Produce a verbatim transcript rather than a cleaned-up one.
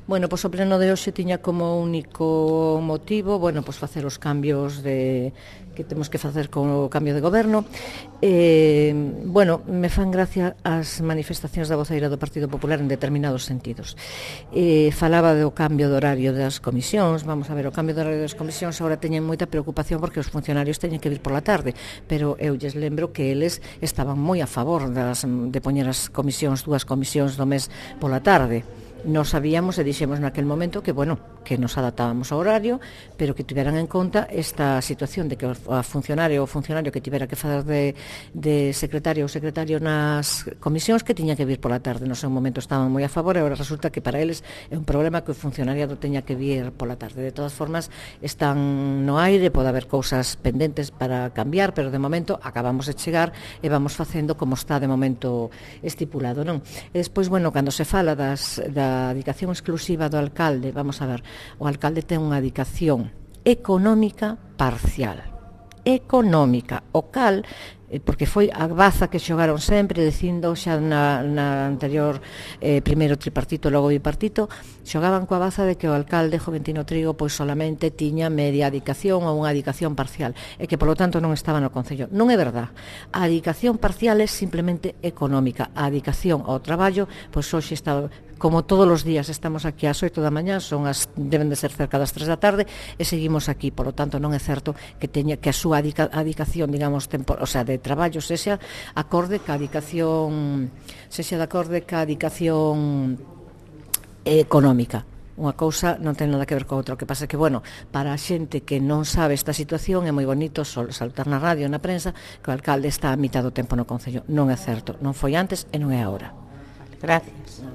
Bueno, pois o pleno de hoxe tiña como único motivo, bueno, pois facer os cambios de que temos que facer con o cambio de goberno. Eh, bueno, me fan gracia as manifestacións da voceira do Partido Popular en determinados sentidos. Eh, falaba do cambio de horario das comisións, vamos a ver, o cambio de horario das comisións agora teñen moita preocupación porque os funcionarios teñen que vir pola tarde, pero eu lles lembro que eles estaban moi a favor das, de poñer as comisións, dúas comisións do mes pola tarde. Nos sabíamos e dixemos naquel momento que, bueno, que nos adaptábamos ao horario, pero que tiveran en conta esta situación de que a funcionario ou funcionario que tivera que fazer de, de secretario ou secretario nas comisións que tiña que vir pola tarde. No seu momento estaban moi a favor e agora resulta que para eles é un problema que o funcionariado teña que vir pola tarde. De todas formas, están no aire, pode haber cousas pendentes para cambiar, pero de momento acabamos de chegar e vamos facendo como está de momento estipulado, non? E despois, bueno, cando se fala das, da dedicación exclusiva do alcalde, vamos a ver, o alcalde ten unha dedicación económica parcial, económica, o cal, porque foi a baza que xogaron sempre, dicindo xa na, na anterior eh, primeiro tripartito, logo bipartito, xogaban coa baza de que o alcalde Joventino Trigo pois solamente tiña media dedicación ou unha dedicación parcial e que polo tanto non estaba no Concello. Non é verdad. A dedicación parcial é simplemente económica. A dedicación ao traballo, pois hoxe está, como todos os días estamos aquí ás oito da mañá, son as, deben de ser cerca das tres da tarde e seguimos aquí, polo tanto non é certo que teña que a súa dedicación, digamos, tempo, o sea, de traballo sexa acorde ca dedicación sexa de acorde ca dedicación económica. Unha cousa non ten nada que ver con outra. O que pasa é que, bueno, para a xente que non sabe esta situación é moi bonito saltar na radio, na prensa, que o alcalde está a mitad do tempo no Concello. Non é certo, non foi antes e non é agora. Gracias. Nada.